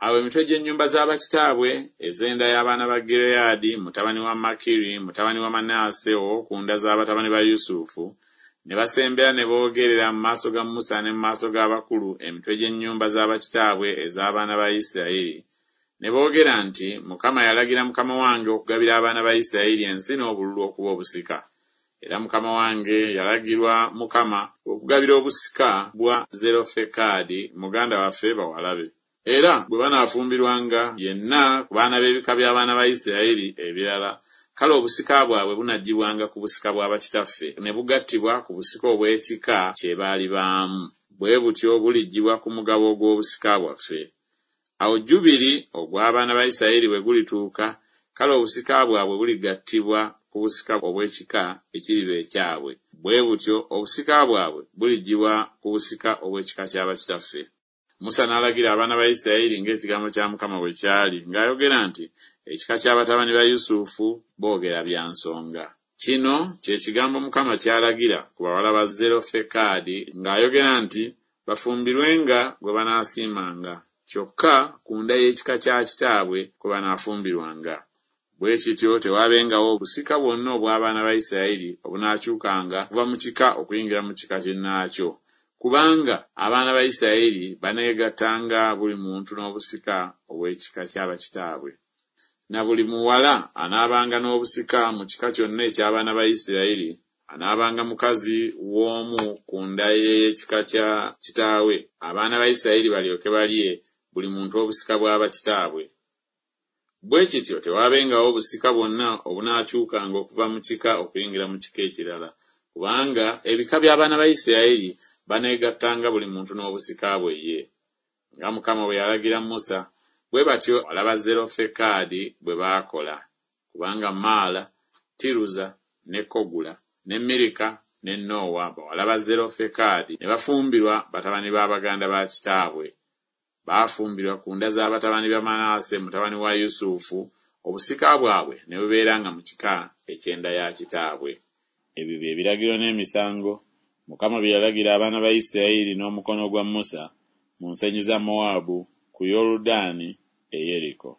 Awo emitwe gy'ennyumba za bakitaabwe ez'enda y'abaana ba Gireyaadi mutabani wa Makiri mutabani wa Manase ow'oku nda z'abatabani ba Yusufu ne basembera ne boogerera mu maaso ga Musa ne mu maaso g'abakulu emitwe gy'ennyumba za bakitaabwe ez'abaana ba Isirayiri, ne boogera nti Mukama yalagira mukama wange okugabira abaana ba Isirayiri ensi n'obululu okuba obusika. Era mukama wange yalagirwa Mukama okugabira obusika bwa Zerofekaadi muganda waffe bawala be. Era bwe banaafumbirwanga yenna ku baana b'ebika by'abaana ba Isirayiri ebirala, kale obusika bwabwe bunaggyibwanga ku busika bwa bakitaffe ne bugattibwa ku busika obw'ekika kye baali baamu. Bwe butyo buliggyibwa ku mugabo ogw'obusika bwaffe. Awo Jjubiri ogw'abaana ba Isirayiri bwe gulituuka, kale obusika bwabwe buligattibwa ku busika obw'ekika ekiriba ekyabwe. Bwe butyo obusika bwabwe buliggyibwa ku busika obw'ekika kya bakitaffe. Musa n'alagira abaana ba Isirayiri ng'ekigambo kya Mukama bwe kyali, ng'ayogera nti, Ekika ky'abatabani ba Yusufu boogera bya nsonga. Kino kye kigambo Mukama ky'alagira ku bawala ba Zerofekaadi ng'ayogera nti, Bafumbirwenga gwe banaasiimanga, kyokka ku nda y'ekika kya kitaabwe kwe banaafumbirwanga. Bwe kityo tewaabengawo busika bwonna obw'abaana ba Isirayiri obunaakyukanga okuva mu kika okuyingira mu kika kinnaakyo, kubanga abaana ba Isirayiri baneegattanga buli muntu n'obusika obw'ekika kya bakitaabwe. Na buli muwala anaabanga n'obusika mu kika kyonna eky'abaana ba Isirayiri anaabanga mukazi w'omu ku nda ey'ekika kya kitaawe, abaana ba Isirayiri balyoke balye buli muntu obusika bwa bakitaabwe. Bwe kityo tewaabengawo busika bwonna obunaakyukanga okuva mu kika okuyingira mu kika ekirala, kubanga ebika by'abaana ba Isirayiri baneegattanga buli muntu n'obusika bwe ye. Nga Mukama bwe yalagira Musa, bwe batyo bawala ba Zerofekaadi bwe baakola, kubanga Maala, Tiruza, ne Kogula, ne Mirika, ne Noowa, bawala ba Zerofekaadi, ne bafumbirwa batabani ba baganda ba kitaabwe. Baafumbirwa ku nda za batabani ba Manase mutabani wa Yusufu, obusika bwabwe ne bubeeranga mu kika eky'enda ya kitaabwe. Ebyo bye biragiro n'emisango, Mukama bye yalagira abaana ba Isirayiri n'omukono gwa Musa mu nsenyi za Mowaabu ku Yoludaani e Yeriko.